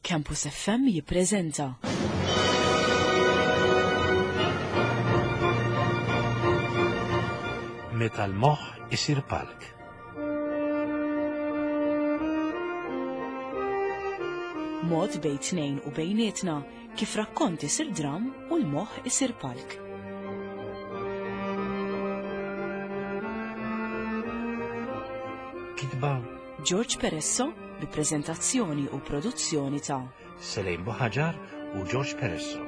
Campus FM jippreżenta. Meta l-moħħ isir palk. Mod bejn tnejn u bejnietna kif rakkont isir dram u l-moħħ isir palk. Kitba George Peresso bi preżentazzjoni u produzzjoni ta' Selejn Buħaġar u George Peresso.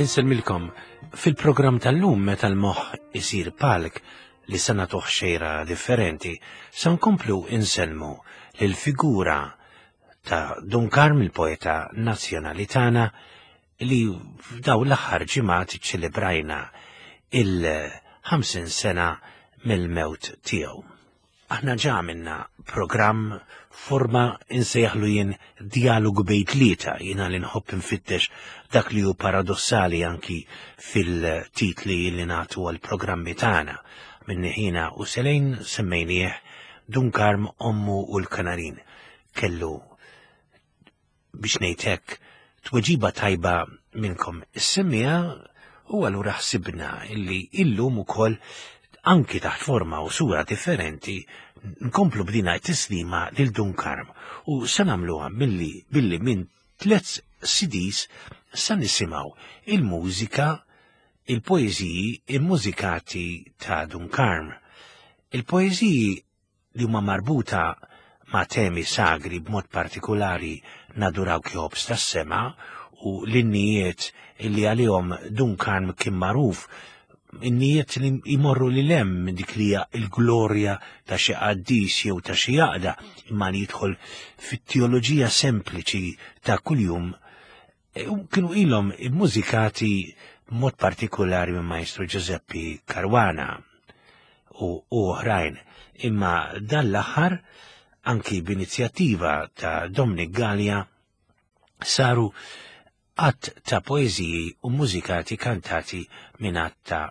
Insellmilkom fil-programm tal-lum meta l-moħħ isir palk li se nagħtuh xejra differenti, se nkomplu insellmu lil figura ta' Dun Karm il-poeta nazzjonali tagħna li f'dawn l-aħħar ġimgħat iċċelebrajna il-50 sena mill-mewt tiegħu. Aħna ġa għamilna programm forma insejjaħlu jien dialogu bejn tlieta, jiena li nħobb infittex dak li hu paradossali anki fil-titli li nagħtu għall-programmi tagħna. Minni ħina u Selejn semmejnieh Dun Karm Ommu u l-Kanarin. Kellu biex ngħid hekk, tweġiba tajba minnkom is-semmiegħa u allura ħsibna illi illum ukoll anki taħt forma u sura differenti nkomplu b'dina t-tislima lil Dun Karm u se nagħmluha milli billi minn tliet CDs se nisimgħu il-mużika il-poeżiji immużikati ta' Dun Karm. Il-poeżiji li huma marbuta ma' temi sagri b'mod partikulari Nadurawk Jobs tas-Sema u l-innijiet li għalihom Dun Karm kien magħruf, innijiet li jmorru lil hemm minn dik li hija l-glorja ta' xi qaddis jew ta' xi għaqda, imma li jidħol fit-teoloġija sempliċi ta' kuljum E, kienu ilhom immużikati b'mod partikulari minn Maestro Giuseppe Caruana u oħrajn, imma dan l-aħħar anki b'inizjattiva ta' Dominic Gallia saru għadd ta' poeżiji u mużikati kantati minn għadd ta'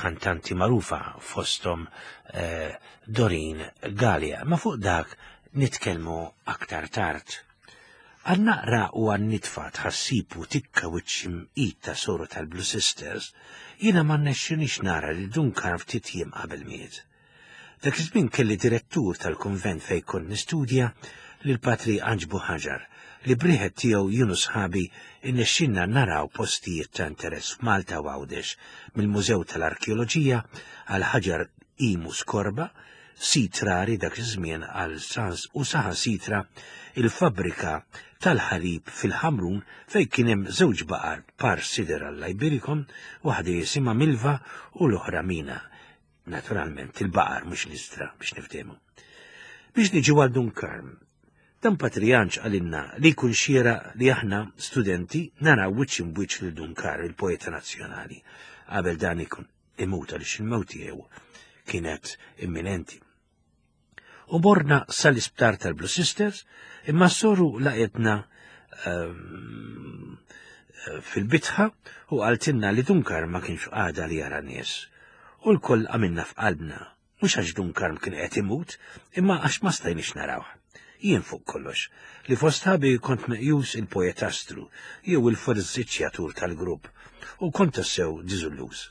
kantanti magħrufa fosthom eh, Dorin Gallia. Ma fuq dak nitkellmu aktar tard. Għal naqra u għal nitfa tħassib u tikka wiċċ imqit ta' soru tal-Blue Sisters, jiena ma rnexxinix nara lil Dun Karm ftit jiem qabel miet. Dak iż-żmien kelli direttur tal-kunvent fejn kont nistudja, lil Patri Anġ Buħaġar, li b'riħet tiegħu jien u sħabi rnexxilna naraw postijiet ta' interess f'Malta u Għawdex, mill-Mużew tal-Arkeoloġija għal Ħaġar Imus Korba, sit rari dak iż-żmien għal sans u saħansitra il-fabbrika tal-ħalib fil-Ħamrun fejn kien hemm żewġ baqar par sider għall-Iberikom, waħda jisimha Milva u l-oħra Mina. Naturalment il-baqar mhux l-istra biex niftehmu. Biex niġu għal Dun Karm, dan Patrijanċ qalilna li jkun xieraq li aħna studenti naraw wiċċ imbwiċċ lil Dun Karm, il-poeta nazzjonali, qabel dan ikun imut għaliex il-mewt tiegħu kienet imminenti. U morna sal-isptar tal-Blue Sisters, imma s-soru laqetna ehm, fil-bitħa u qaltilna li Dunkar ma kienx għada li jara nies. U l-koll għamilna f'qalbna Mhux għax Dun Karm kien qed imut, imma għax ma stajniex narawh. Jien fuq kollox, li fost ħabi kont meqjus il-poetastru jew il-forżiċjatur tal-grupp u kont tassew diżulluż.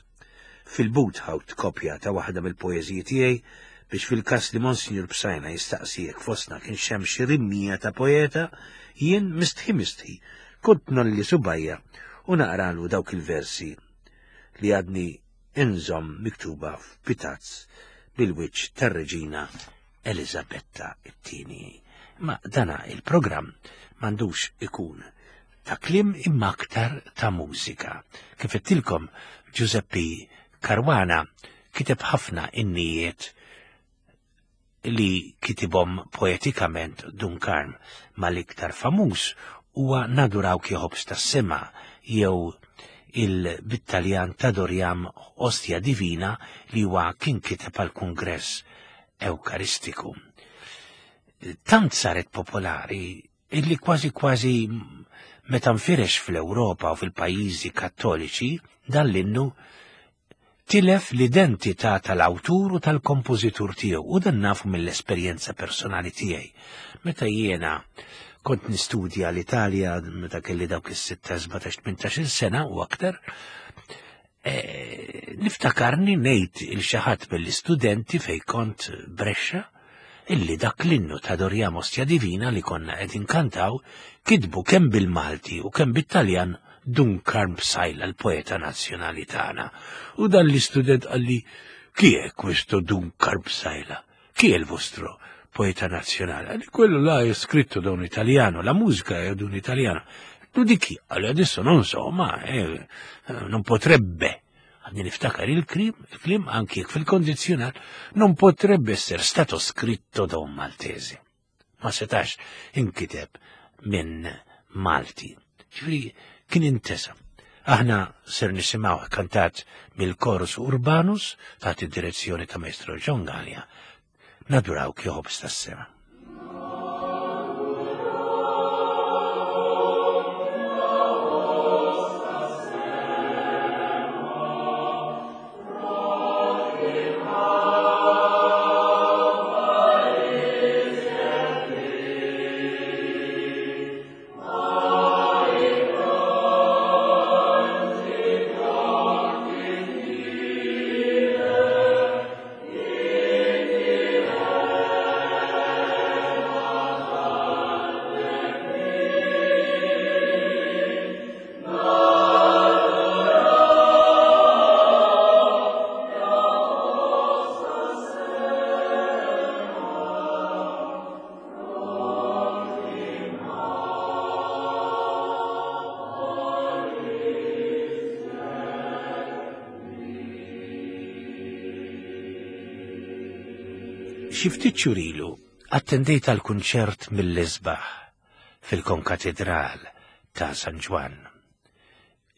Fil-but ħawt kopja ta' waħda mill-poeżiji tiegħi biex fil-każ li Monsinjur Psajna jistaqsi jekk fostna kienx hemm xi rimmija ta' poeta, jien mistħi mistħi kont nolli subgħajja u naqralu dawk il-versi li għadni inżomm miktuba f'pitazz bil-wiċċ tar-Reġina Eliżabetta t-Tieni. Ma dana il-programm m'għandux ikun ta' kliem imma aktar ta' mużika. Kif għedtilkom Giuseppe Caruana kiteb ħafna innijiet li kitibhom poetikament Dun Karm, ma l-iktar famuż huwa Nadurawk Jħobż tas-Sema jew il bit-Taljan T'Adoriam Ostia Divina li huwa kien kiteb għall-Kungress Ewkaristiku. Tant saret popolari illi kważi kważi meta nfirex fl-Ewropa u fil-pajjiżi Kattoliċi dan l-innu. Tilef l-identità tal-awtur u tal-kompożitur tiegħu u dan nafu mill-esperjenza personali tiegħi. Meta jiena kont nistudja l-Italja meta kelli dawk is-6, 17, 18 sena u aktar, e, niftakarni ngħid il xi ħadd mill-istudenti fejn kont Brescia illi dak l-innu ta' Doriamo Ostia Divina li konna qed inkantaw kitbu kemm bil-Malti u kemm bit-Taljan Dun Karm Psaila l-poeta nazzjonali tagħna. U dan l-istudent qalli chi è questo Dun Karm Psaila? Chi è il vostro poeta nazionale? Qalli quello là è scritto da un italiano, la musica è di un italiano. Tu di chi? Allora adesso non so, ma eh, non potrebbe Għadni niftakar il-klim, il-klim anki jekk fil-kondizzjonal non potrebbe essere stato scritto da un Maltese. Ma setax inkiteb minn Malti. Ġifieri kien intesa. Aħna ser nisimgħu kantat mill-Chorus Urbanus taħt id-direzzjoni ta' Maestro John Gallia. Naduraw kjoħobs tas-sema. Xi ftit xhur ilu attendejt għal kunċert mill-isbaħ fil-Konkatedral ta' San Ġwann.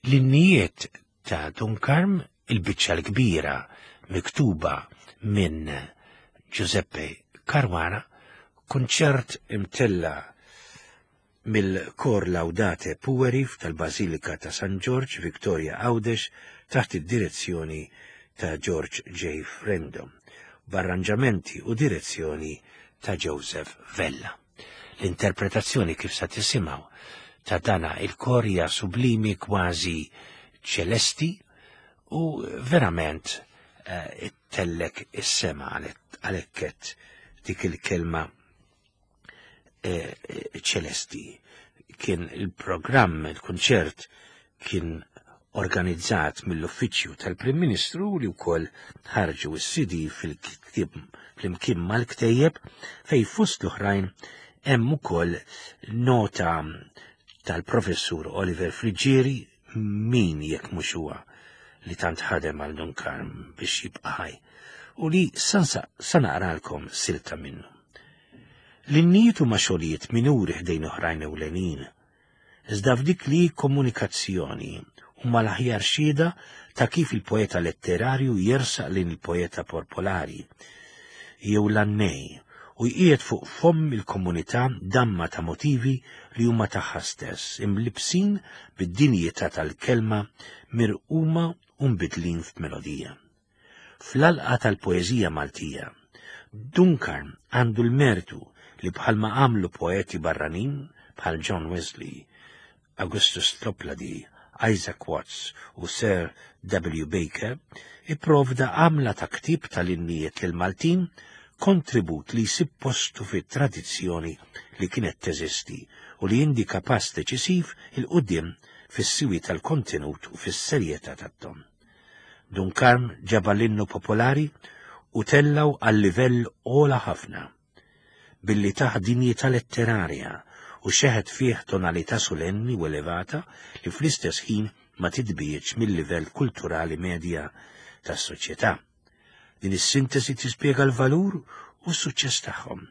L-innijiet ta' Dun Karm, il-biċċa l-kbira miktuba minn Giuseppe Caruana, kunċert imtella' mill-Kor Laudate Pueri tal-Bażilika ta' San Ġorġ, Victoria Għawdex, taħt id-direzzjoni ta' George J. Frendo, b'arranġamenti u direzzjoni ta' Joseph Vella. L-interpretazzjoni kif sa tisimgħu ta' dana il-kor hija sublimi kważi ċelesti u verament eh, ittellek is-sema għalhekk dik il-kelma Eh, eh, ċelesti. Kien il-programm, il-kunċert kien organizzat mill-uffiċċju tal-Prim Ministru li wkoll ħarġu s-CD fil-ktieb flimkien mal-ktejjeb fej fost l-oħrajn hemm ukoll nota tal-professur Oliver Friggieri min jekk mhux huwa li tant ħadem għal Dun Karm biex jibqa' ħaj u li sansa sa naqralkom silta minnu. L-innijiet huma xogħlijiet minuri ħdejn oħrajn ewlenin, iżda f'dik li komunikazzjoni huma l-aħjar xhieda ta' kif il-poeta letterarju jersaq lejn il-poeta popolari jew l-għannej u jqiegħed fuq fomm il-komunità damma ta' motivi li huma tagħha stess, imlibbsin bid-dinjità tal-kelma mirquma u mbiddlin f'melodija. Fl-għalqa tal-poeżija Maltija, Duncan għandu l-mertu li bħalma għamlu poeti barranin bħal John Wesley, Augustus Toplady, Isaac Watts u Sir W. Baker, ipprovda għamla ta' ktieb tal-innijiet lill-Maltin, kontribut li jsib postu fit-tradizzjoni li kienet teżisti u li jindika pass deċisiv 'il quddiem fis-siwi tal-kontenut u fis-serjetà tat-ton. Dun Karm ġabar l-innu popolari u tellgħu għal livell ogħla ħafna. billi tah dinjità letterarja u xeħet fih tonalità sulenni u elevata li fl-istess ħin ma titbiegħedx mil-livell kulturali medja tas-soċjetà. Din is-sintesi tispjega l-valur u s-suċċess tagħhom.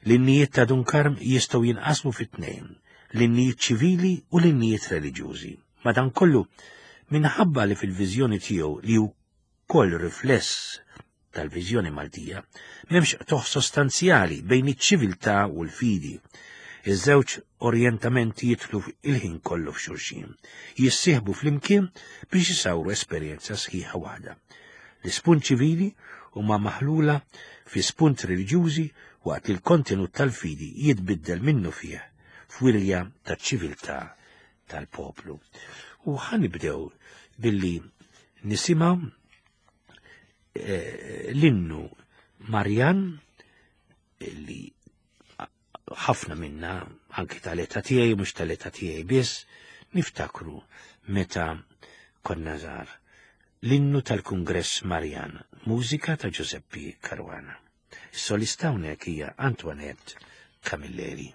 L-innijiet ta' Dun Karm jistgħu jinqasmu fi tnejn, l-innijiet ċivili u l-innijiet reliġjużi. Madankollu, minħabba li fil-viżjoni tiegħu li wkoll rifless tal-viżjoni Maltija, m'hemmx qtugħ sostanzjali bejn iċ-ċiviltà u l-fidi. Iż-żewġ orjentamenti jidħlu il-ħin kollu f'xulxin, jissieħbu flimkien biex isawru esperjenza sħiħa waħda. L-ispunt ċivili huma maħlula fi spunt reliġjużi waqt li l-kontenut tal-fidi jitbiddel minnufih f'wirja taċ-ċiviltà tal-poplu. U ħanibdew billi nisimgħu eh, l-innu Marjan li ħafna minna, anki tal-età tiegħi, mhux tal-età tiegħi biss, niftakru meta konna żgħar. L-innu tal-Kungress Marjan, mużika ta' Giuseppe Caruana. Is-solista hawnhekk hija Antoinette Camilleri.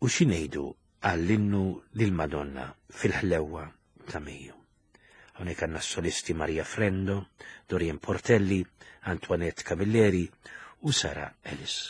U xi ngħidu għall-innu lill-Madonna fil-ħlewwa ta' Mejju. Hawnhekk għandna s-solisti Maria Frendo, Dorien Portelli, Antoinette Camilleri u Sara Ellis.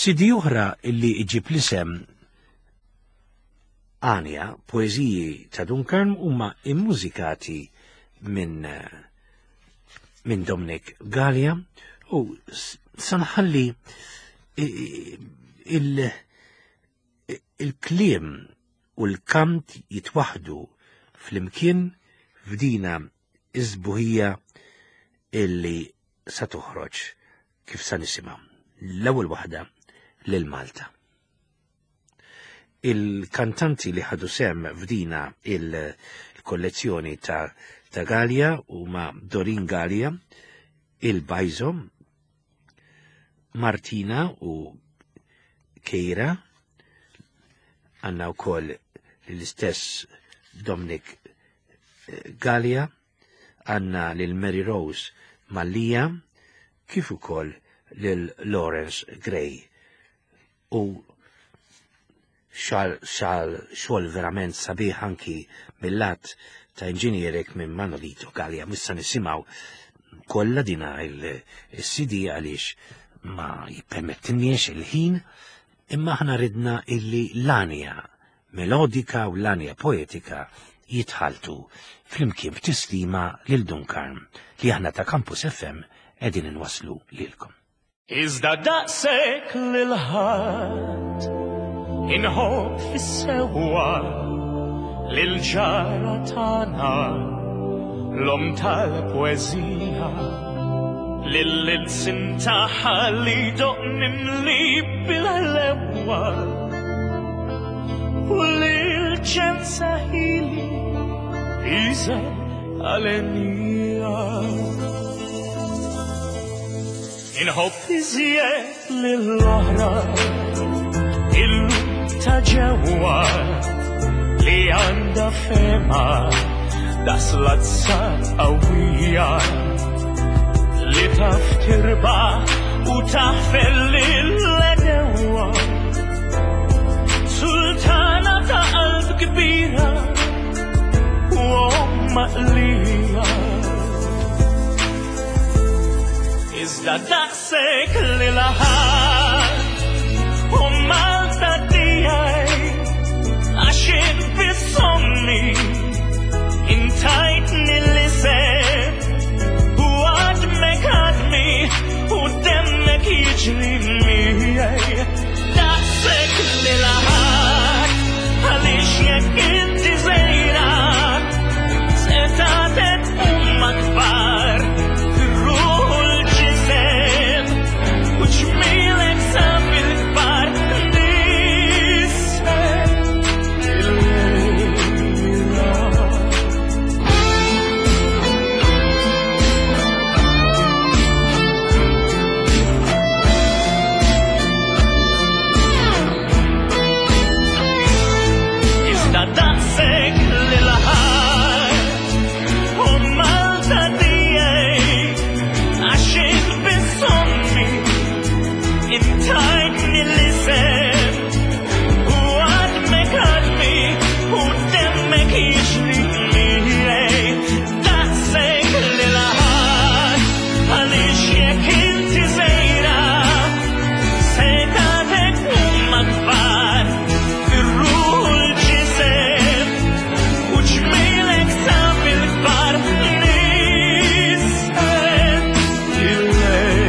CD oħra illi iġib l-isem Anja, poeżiji ta' Dun Karm huma immużikati minn minn Dominic Gallia u sanħalli il-kliem u l-kant jitwaħdu flimkien f'dina iż-sbuħija illi sa toħroġ kif sa nisimgħu. L-ewwel waħda lil Malta. Il-kantanti li ħadu sem f'dina il-kollezzjoni ta' ta' Gallia huma Dorin Gallia, il-Bajzo, Martina u Keira, għanna u koll l-istess Dominic eh, Gallia, għanna lil Mary Rose Mallia, kif ukoll lil Lawrence Gray. U xal xal xogħol verament sabiħ anki mill-lat ta' inġinierek minn Manolito Gallia. Missa nisimgħu kollha dina il-CD għaliex ma jippermettinniex il-ħin imma aħna ridna illi l-anja melodika u l-anja poetika jitħaltu flimkien b'tislima lil Dun Karm li aħna ta' Campus FM qegħdin inwasslu lilkom. Iżda daqshekk lil ħadd inħobb fis-sewwa lil ġara tagħna l-om tal-poeżija lil ilsin tagħha li doq mimli bil-ħlewwa u lil ġensa ħili iżel għalenija. Inħobb iżjed lill-oħra illum ta' ġewwa li għandha fema daqs lazza qawwija li taf tirbaħ u taħfer lill-għedewwa. Sultana ta' qalb kbira u omm għaqlija. Iżda daqshekk li laħat u Malta tiegħi għax int biss ommi intajtni l-isem u għadmek għadmi u demmek jiġri miegħi. Daqshekk li laħat għaliex jekk inti żgħira se tagħtek huma kbar fir-ruħ u l-ġisem u ġmielek sa fil-kbar nissel il-lejla. Iżda daqshekk li laħat u Malta tiegħi għax int biss ommi intajtni l-isem u għadmek għadmi u demmek jiġri miegħi. Daqshekk li laħat għaliex jekk inti żgħira se tagħtek huma kbar fir-ruħ u l-ġisem u ġmielek sa fil-kbar nisel il-lejla.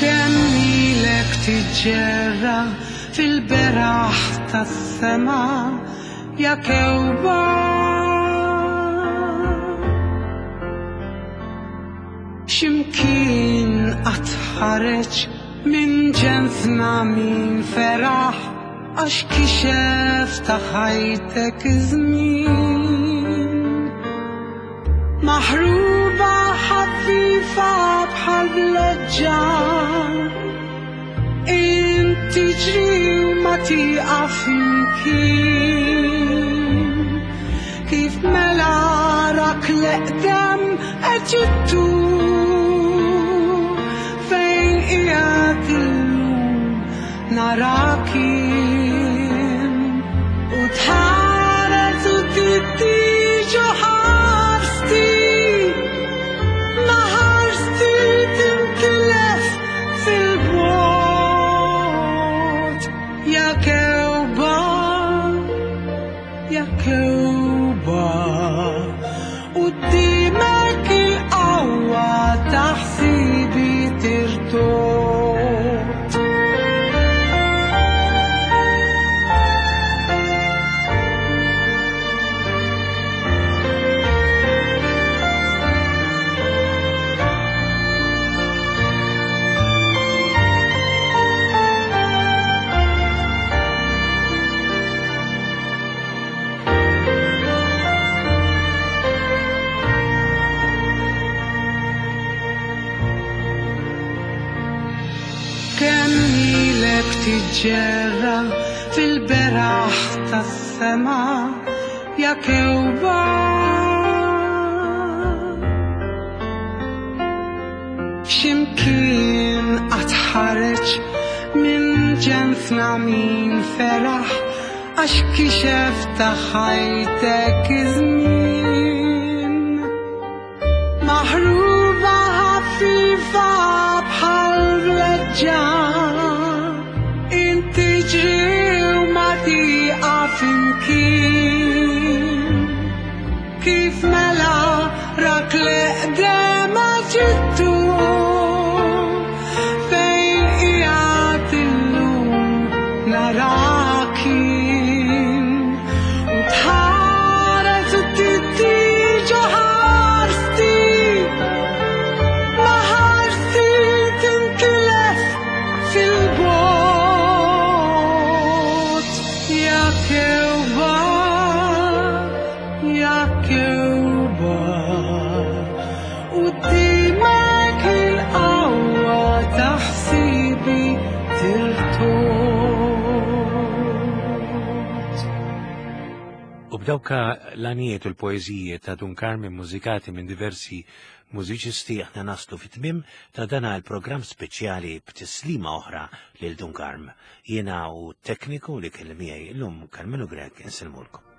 Kemm ilek tiġġerra fil-beraħ tas-sema ja kewba. X'imkien qatt ħareġ minn ġensna min feraħ għax kixef ta' ħajtek iż-żmien. Maħruba ħafifa bħal vleġġa tiġri u ma tieqaf imkien. Kif mela rak l-eqdem Eġittu fejn qiegħed illum narak jien u tħares u tittiġu ħarsti ma ħarsti tintilef fil-bogħod ja kewba ja kewba qudiemek il-qawwa ta' ħsibi tirtod. Kemm ilek tiġġerra fil-beraħ tas-sema ja kewba. X'imkien qatt ħareġ minn ġensna min feraħ għax kixef ta' ħajtek iż-żmien. Maħruba ħafifa bħal vleġġa, inti ġri u ma tieqaf imkien. Kif mela rak l-eqdem Eġittu fejn qiegħed illum narak jien. U tħares u tittiġu ħarsti, ma ħarsti tintilef fil-bogħod. Ja kewba, ja kewba, qudiemek il-qawwa ta' ħsibi tirtod. U b'dawka l-għanijiet u l-poeżiji ta' Dun Karm mużikati minn diversi mużiċisti aħna naslu fit-tmiem ta' dana l-programm speċjali b'tislima oħra lil Dun Karm. Jiena u tekniku li kelli miegħi llum Karmenu Grech insilmulkom.